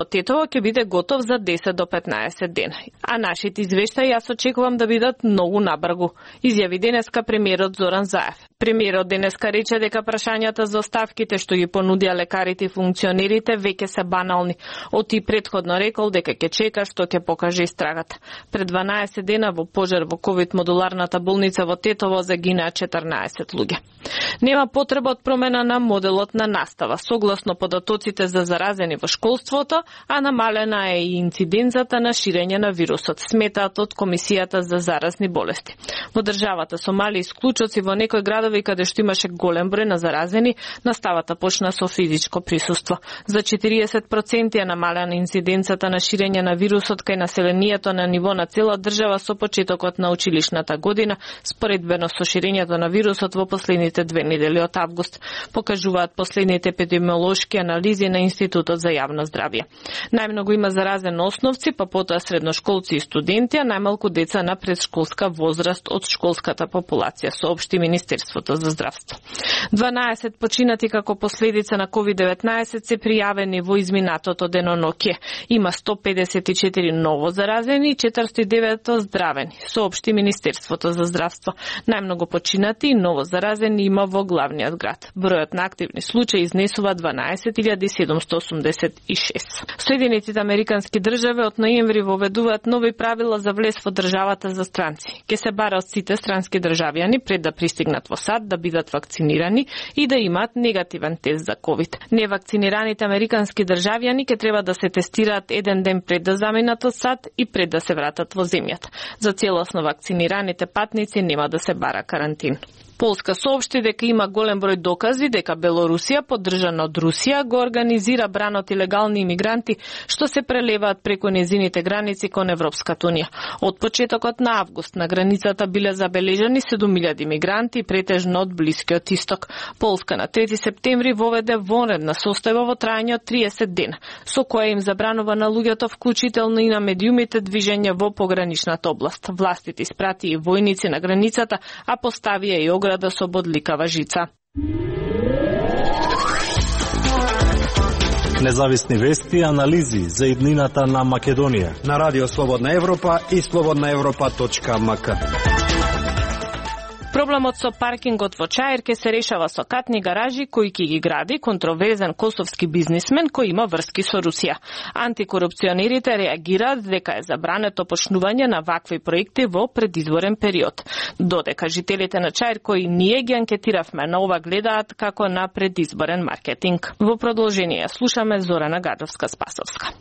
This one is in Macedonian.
Тетово ќе биде готов за 10 до 15 дена. А нашите извештаи јас очекувам да бидат многу набргу, изјави денеска премиерот Зоран Заев. Премиерот денеска рече дека прашањата за оставките што ги понудија лекарите и функционерите веќе се банални. Оти претходно рекол дека ќе чека што ќе покаже истрагата. Пред 12 дена во пожар во ковид модуларната болница во Тетово загинаа 14 луѓе. Нема потреба од промена на моделот на настава. Согласно податоците за заразени во школството, а намалена е и инциденцата на ширење на вирусот, сметаат од Комисијата за заразни болести. Во државата со мали исклучоци во некои градови каде што имаше голем број на заразени, наставата почна со физичко присуство. За 40% е намалена инциденцата на ширење на вирусот кај населението на ниво на цела држава со почетокот на училишната година, споредбено со ширењето на вирусот во последните 2 недели од август, покажуваат последните епидемиолошки анализи на Институтот за јавно здравје. Најмногу има заразени основци, па потоа средношколци и студенти, а најмалку деца на предшколска возраст од школската популација, соопшти Министерството за здравство. 12 починати како последица на COVID-19 се пријавени во изминатото деноноќе. Има 154 ново заразени и 409 оздравени, соопшти Министерството за здравство. Најмногу починати и ново заразени има во главниот град. Бројот на активни случаи изнесува 12.786. Соединетите американски држави од ноември воведуваат нови правила за влез во државата за странци. Ке се бара од сите странски државјани пред да пристигнат во САД да бидат вакцинирани и да имаат негативен тест за ковид. Невакцинираните американски државјани ке треба да се тестираат еден ден пред да заминат од САД и пред да се вратат во земјата. За целосно вакцинираните патници нема да се бара карантин. Полска соопшти дека има голем број докази дека Белорусија, поддржана од Русија, го организира бранот илегални имигранти што се прелеваат преку незините граници кон Европската унија. Од почетокот на август на границата биле забележани 7000 имигранти, претежно од Блискиот Исток. Полска на 3 септември воведе вонредна состојба во трајање од 30 дена, со која им забранува на луѓето, вклучително и на медиумите, движење во пограничната област. Властите испрати и војници на границата, а поставија и ограда со бодликава жица. Независни вести и анализи за иднината на Македонија на Радио Слободна Европа и slobodnaevropa.mk. Проблемот со паркингот во Чаир ке се решава со катни гаражи кои ќе ги гради контроверзен косовски бизнисмен кој има врски со Русија. Антикорупционерите реагираат дека е забрането почнување на вакви проекти во предизборен период. Додека жителите на Чаир кои ние ги анкетиравме на ова гледаат како на предизборен маркетинг. Во продолжение слушаме Зорана Гадовска-Спасовска.